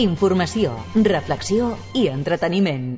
Informació, reflexió i entreteniment.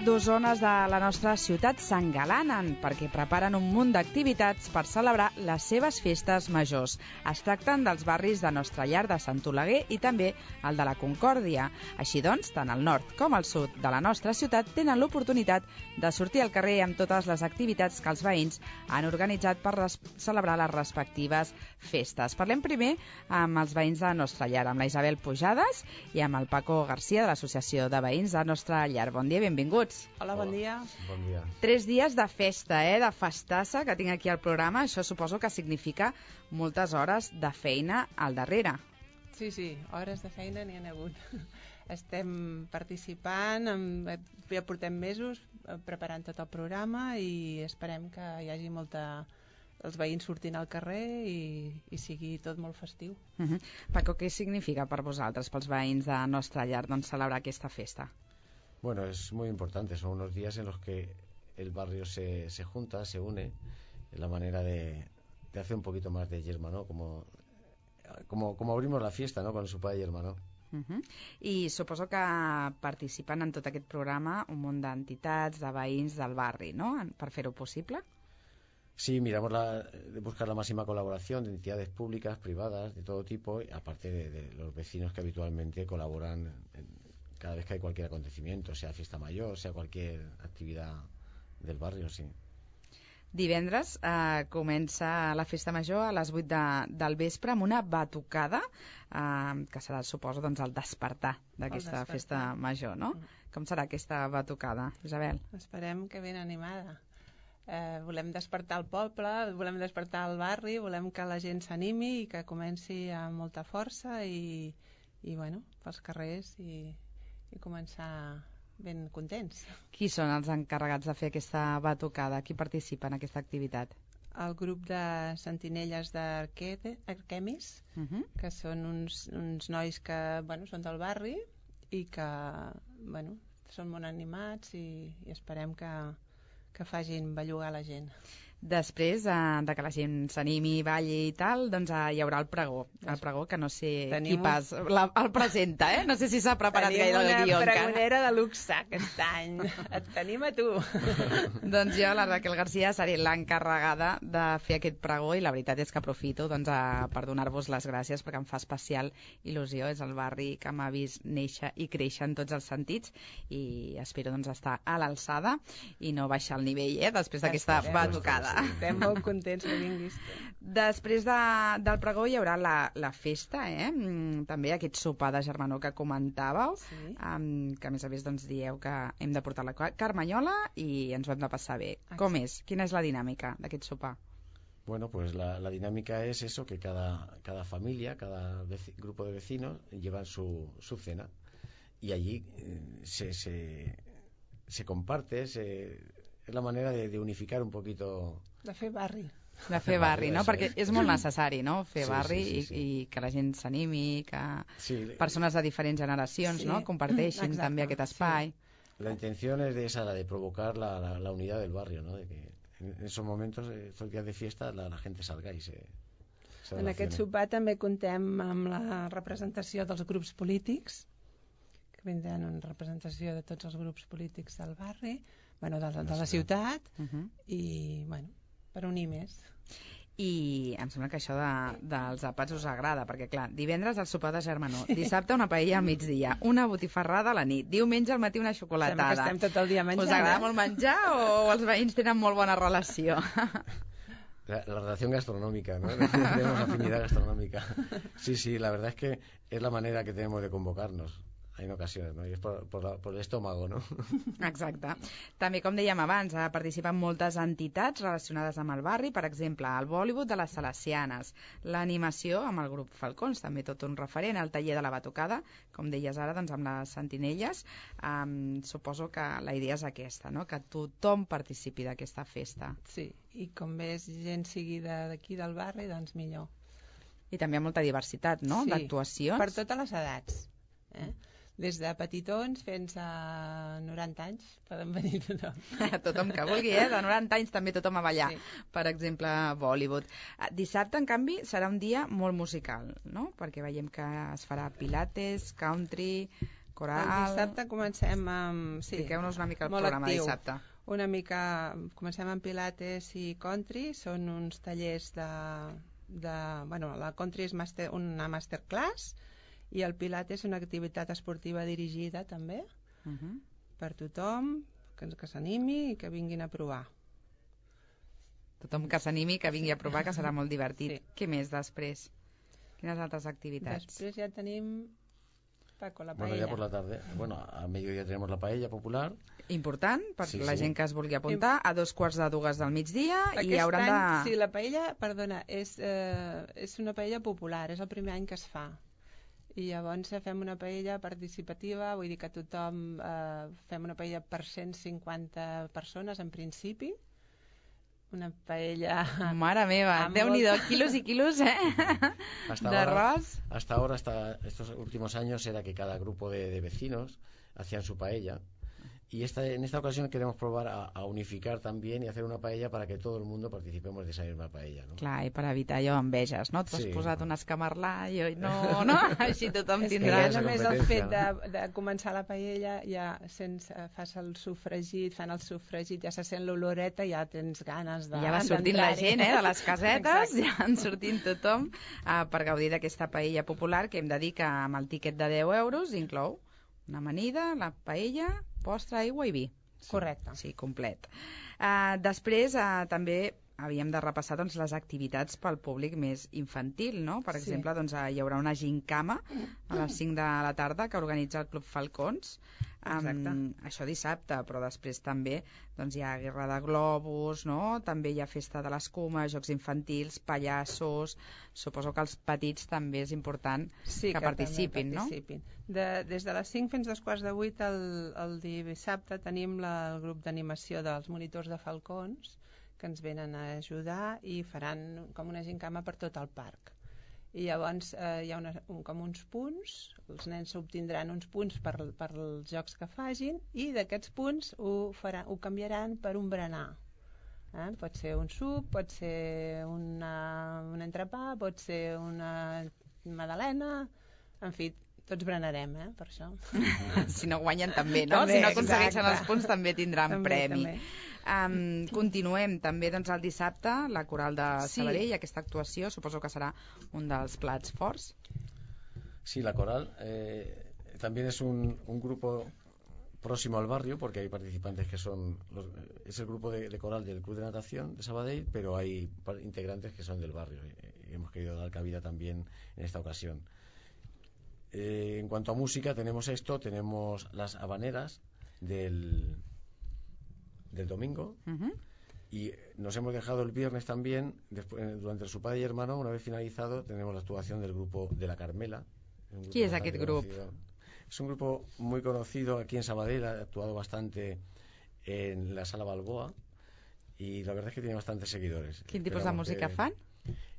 Dos zones de la nostra ciutat s'engalanen perquè preparen un munt d'activitats per celebrar les seves festes majors. Es tracten dels barris de Nostra Llar de Sant Oleguer i també el de la Concòrdia. Així doncs, tant el nord com el sud de la nostra ciutat tenen l'oportunitat de sortir al carrer amb totes les activitats que els veïns han organitzat per celebrar les respectives festes. Parlem primer amb els veïns de Nostra Llar, amb la Isabel Pujades i amb el Paco Garcia de l'Associació de Veïns de Nostra Llar. Bon dia, benvinguts. Hola, bon dia. Bon dia. 3 dies de festa, de festassa que tinc aquí al programa. Això suposo que significa moltes hores de feina al darrere. Sí, hores de feina n'hi ha hagut. Estem participant, ja portem mesos preparant tot el programa i esperem que hi hagi els veïns sortint al carrer i sigui tot molt festiu. Paco, què significa per vosaltres, pels veïns de Nostra Llar, celebrar aquesta festa? Bueno, es muy importante, son unos días en los que el barrio se junta, se une, es la manera de hacer un poquito más de yerma, ¿no? Como abrimos la fiesta, ¿no? Con el sopar de yerma, ¿no? I suposo que participen en tot aquest programa un munt d'entitats, de veïns del barri, no? Per fer-ho possible? Sí, miramos de buscar la máxima colaboración de entidades públicas, privadas, de todo tipo, aparte de los vecinos que habitualmente colaboran cada vez que hay cualquier acontecimiento, sea fiesta mayor, sea cualquier actividad del barrio, sí. Divendres comença la festa major a les 8 del vespre amb una batucada, que serà, suposo, el despertar d'aquesta festa major, no? Com serà aquesta batucada, Isabel? Esperem que ben animada. Volem despertar el poble, volem despertar el barri, volem que la gent s'animi i que comenci amb molta força i bueno, pels carrers i començar ben contents. Qui són els encarregats de fer aquesta batucada? Qui participa en aquesta activitat? El grup de sentinelles d'Arquemis, que són uns nois que són del barri i que són molt animats i esperem que facin bellugar la gent. Després de que la gent s'animi, balli i tal, doncs hi haurà el pregó. El pregó que no sé qui el presenta, No sé si s'ha preparat gaire el guió encara. Tenim una pregonera de luxe aquest any. Et tenim a tu. Doncs jo, la Raquel Garcia, seré l'encarregada de fer aquest pregó i la veritat és que aprofito per donar-vos les gràcies perquè em fa especial il·lusió. És el barri que m'ha vist néixer i créixer en tots els sentits i espero estar a l'alçada i no baixar el nivell, després d'aquesta batucada. Estem molt contents que vinguis. Després del pregó hi haurà la festa, també aquest sopar de germanor que comentàveu, que a més a més dieu que hem de portar la carmanyola i ens ho hem de passar bé. Com és? Quina és la dinàmica d'aquest sopar? Bueno, pues la dinámica es eso, que cada familia, cada grupo de vecinos llevan su cena y allí se comparte, es la manera de unificar un poquito... De fer barri. De fer barri, no? Perquè és molt necessari, no? Fer barri i que la gent s'animi, que persones de diferents generacions comparteixin també aquest espai. La intención es la de provocar la unidad del barrio, ¿no? De que en esos momentos, estos días de fiesta, la gente salga y se En aquest sopar també contem amb la representació dels grups polítics, que vindran en representació de tots els grups polítics del barri, de la ciutat, i, per unir més. I em sembla que això dels àpats us agrada, perquè clar, divendres el sopar de germanor, dissabte una paella al migdia, una botifarrada a la nit, diumenge al matí una xocolatada. Sembla que estem tot el dia menjant. Us agrada molt menjar o els veïns tenen molt bona relació? La relación gastronómica, ¿no? Tenemos afinidad gastronómica. Sí, la verdad es que es la manera que tenemos de convocarnos en ocasiones, no? I és per l'estómago, no? Exacte. També, com dèiem abans, participen moltes entitats relacionades amb el barri, per exemple, el Bollywood de les Salesianes, l'animació amb el grup Falcons, també tot un referent, el taller de la batucada, com deies ara, doncs amb les sentinelles. Suposo que la idea és aquesta, no? Que tothom participi d'aquesta festa. Sí, i com més gent sigui d'aquí del barri, doncs millor. I també hi ha molta diversitat, no?, Sí, d'actuacions. per totes les edats. Des de petitons fins a 90 anys poden venir tothom. Tothom que vulgui, de 90 anys també tothom a ballar. Sí. Per exemple, Bollywood. Dissabte, en canvi, serà un dia molt musical, no? Perquè veiem que es farà pilates, country, coral... El dissabte comencem amb... Sí, expliqueu-nos una mica el molt programa actiu. dissabte. Una mica... Comencem amb pilates i country, són uns tallers bueno, la country és una masterclass, i el pilates és una activitat esportiva dirigida també per tothom que s'animi i que vinguin a provar. Tothom que s'animi, que vingui a provar, que serà molt divertit. Sí. Què més després? Quines altres activitats? Després ja tenim, Paco, la Bueno, paella. ya por la tarde. Bueno, a mediodía tenemos la paella popular. Important, per Sí, la sí. gent que es vulgui apuntar, a 2:45 del migdia, i hauran de... Sí, la paella, perdona, és una paella popular, és el primer any que es fa. I llavors fem una paella participativa, vull dir que tothom fem una paella per 150 persones en principi, una paella... Mare meva, Déu-n'hi-do, quilos i quilos, d'arròs. Hasta ahora, hasta estos últimos años, era que cada grupo de vecinos hacían su paella. Y en esta ocasión queremos probar a unificar también y hacer una paella para que todo el mundo participemos de esa misma paella, ¿no? Clar, i per evitar allò enveges, no? Tu has Sí. posat un escamarlà i jo no, no? Així tothom És que tindrà... ja només el fet competència. de començar la paella, ja fas el sofregit, fan el sofregit, ja se sent l'oloreta, ja tens ganes de... Ja va sortint la d'entrar-hi. gent, de les casetes, Exacte. ja en sortint tothom per gaudir d'aquesta paella popular que hem de dir que amb el tíquet de 10 euros inclou una amanida, la paella, postre, aigua i vi. Correcte. Sí, complet. Després també havíem de repassar doncs, les activitats pel públic més infantil, no? Per Sí. exemple, doncs, hi haurà una gincama a les 5 de la tarda que organitza el Club Falcons. Exacte. Això dissabte, però després també doncs, hi ha guerra de globus, no? També hi ha festa de l'escuma, jocs infantils, pallassos... Suposo que els petits també és important Sí, que participin, no? Des de les 5 fins a 7:45 el dissabte tenim el grup d'animació dels monitors de Falcons que ens venen a ajudar i faran com una gincama per tot el parc. I llavors hi ha com uns punts, els nens obtindran uns punts per els jocs que facin i d'aquests punts ho canviaran per un berenar. Pot ser un suc, pot ser un entrepà, pot ser una magdalena, en fi, tots berenarem, per això. Si no guanyen també, no? També, Si no aconsegueixen exacte. els punts també tindran També, premi. també. Continuem també doncs, el dissabte, la Coral de Sí. Sabadell, aquesta actuació, suposo que serà un dels plats forts. Sí, la coral también es un grupo próximo al barrio, porque hay participantes que son es el grupo de coral del Club de Natación de Sabadell, pero hay integrantes que son del barrio y hemos querido dar cabida también en esta ocasión. En cuanto a música, tenemos las habaneras del domingo. Y nos hemos dejado el viernes también, durante el Su Padre y Hermano, una vez finalizado, tenemos la actuación del grupo de la Carmela. Qui és aquest grup? Es un grupo muy conocido aquí en Sabadell, ha actuado bastante en la Sala Balboa y la verdad es que tiene bastantes seguidores. Quin tipus de música fan?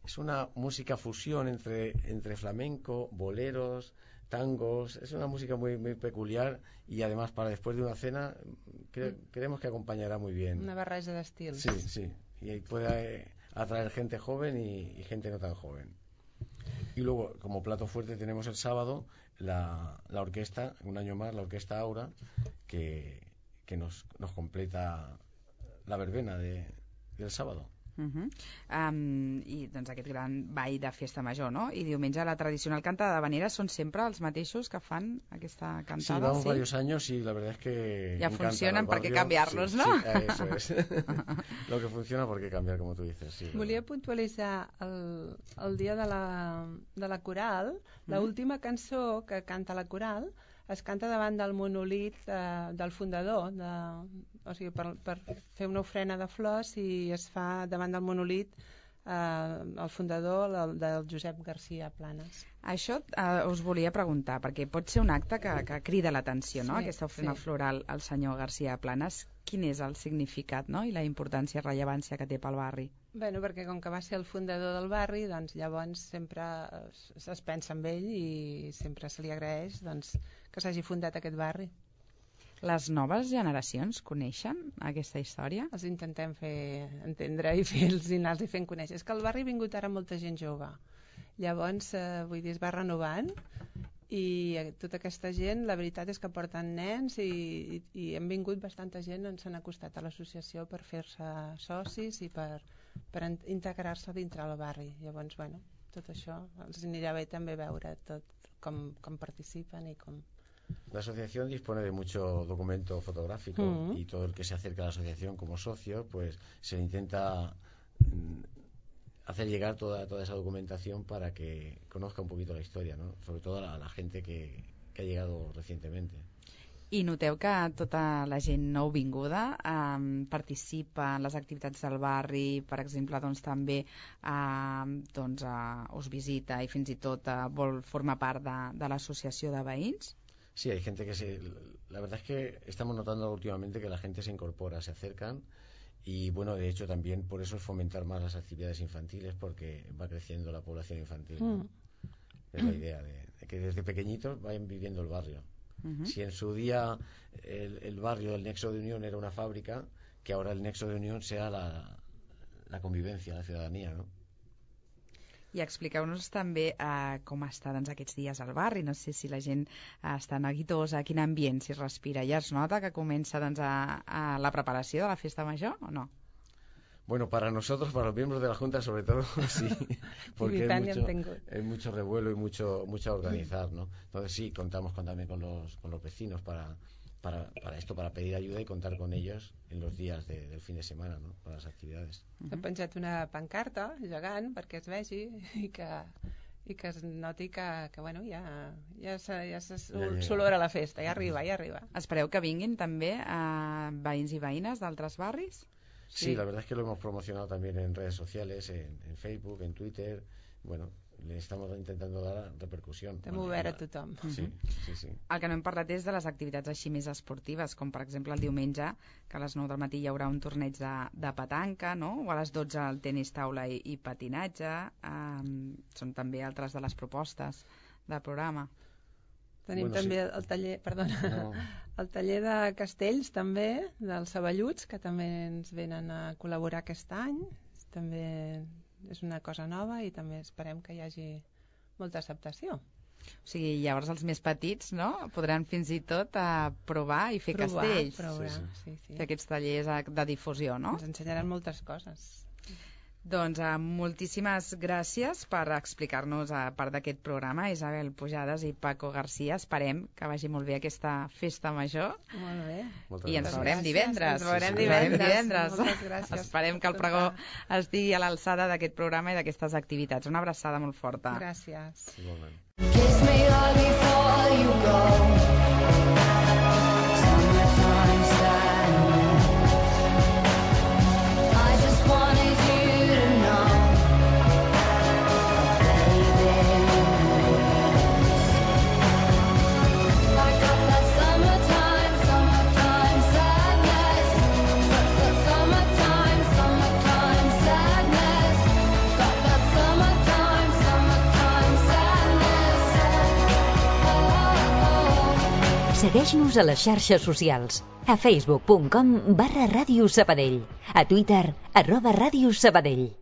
Es una música fusión entre flamenco, boleros, tangos. Es una música muy, muy peculiar y además para después de una cena creemos que acompañará muy bien. Una barreja d'estils. Sí. Y puede atraer gente joven y gente no tan joven. Y luego, como plato fuerte, tenemos el sábado la orquesta, un año más, la Orquesta Aura, que nos completa la verbena del sábado. I doncs aquest gran ball de festa major, no? I diumenge la tradicional canta d'havaneres són sempre els mateixos que fan aquesta cantada. Sí, vamos varios años y la verdad es que ya funcionan, ¿para qué cambiarlos, no? Sí, eso es. Lo que funciona, ¿por qué cambiar, como tú dices? Sí, volia puntualitzar el dia de la coral. L'última cançó que canta la coral es canta davant del monòlit del fundador, o sigui, per fer una ofrena de flors, i es fa davant del monòlit el fundador del Josep Garcia Planas. Això us volia preguntar, perquè pot ser un acte que crida l'atenció, no? Aquesta ofrena floral al senyor Garcia Planas. Quin és el significat, no? I la importància i rellevància que té pel barri? Bueno, perquè com que va ser el fundador del barri, doncs llavors sempre es pensa en ell i sempre se li agraeix que s'hagi fundat aquest barri. Les noves generacions coneixen aquesta història? Els intentem fer entendre i anar-los fent conèixer. És que al barri ha vingut ara molta gent jove. Llavors, vull dir, es va renovant i tota aquesta gent, la veritat és que porten nens i han vingut bastanta gent, ens han acostat a l'associació per fer-se socis i per integrar-se dintre el barri. Llavors, bueno, tot això els anirà bé també veure tot com participen i com... La asociación dispone de mucho documento fotográfico y todo el que se acerca a la asociación como socio, pues se le intenta hacer llegar toda esa documentación para que conozca un poquito la historia, ¿no? Sobre todo a la gente que ha llegado recientemente. I noteu que tota la gent nouvinguda participa en les activitats del barri, per exemple, doncs també us visita i fins i tot vol formar part de l'associació de veïns? Sí, hay gente la verdad es que estamos notando últimamente que la gente se incorpora, se acercan y bueno, de hecho también por eso es fomentar más las actividades infantiles porque va creciendo la población infantil, ¿no? Es la idea de que desde pequeñitos vayan viviendo el barrio. Si en su día el barrio del Nexo de Unión era una fábrica, que ahora el Nexo de Unión sea la convivencia, la ciudadanía, ¿no? I expliqueu-nos també com està aquests dies al barri. No sé si la gent està neguitosa, quin ambient s'hi respira. Ja es nota que comença a la preparació de la festa major o no? Bueno, para nosotros, para los miembros de la Junta sobre todo, sí, porque hay mucho revuelo y mucho a organizar, ¿no? Entonces sí, contamos también con los vecinos para esto, para pedir ayuda y contar con ellos en los días del fin de semana, ¿no? Para las actividades. Hem penjat una pancarta gegant perquè es vegi i que es noti que bueno, ja s'olora la festa, ja arriba. Espereu que vinguin també veïns i veïnes d'altres barris? Sí, la verdad es que lo hemos promocionado también en redes sociales, en Facebook, en Twitter. Bueno, le estamos intentando dar repercusión. Hem obert a tothom. Sí. El que no hem parlat és de les activitats així més esportives, com per exemple el diumenge, que a les 9 del matí hi haurà un torneig de petanca, no? O a les 12 el tenis taula i patinatge. Són també altres de les propostes del programa. Tenim també el taller, el taller de castells també, dels Saballuts, que també ens venen a col·laborar aquest any. També és una cosa nova i també esperem que hi hagi molta acceptació. O sigui, llavors els més petits, no?, podran fins i tot provar i fer castells. Sí. Fer aquests tallers de difusió, no? Ens ensenyaran moltes coses. Doncs moltíssimes gràcies per explicar-nos a part d'aquest programa, Isabel Pujades i Paco Garcia. Esperem que vagi molt bé aquesta festa major. Molt bé. I ens veurem divendres. Moltes gràcies. Esperem que el pregó estigui a l'alçada d'aquest programa i d'aquestes activitats. Una abraçada molt forta. Gràcies. Igualment. Kiss me all before you go. Summertime sadness. I just wanted you to know, baby. I got that summertime sadness. Got that summertime sadness. Got that summertime sadness. Segueix-nos a les xarxes socials. A facebook.com/Ràdio Sabadell. A Twitter @Ràdio Sabadell.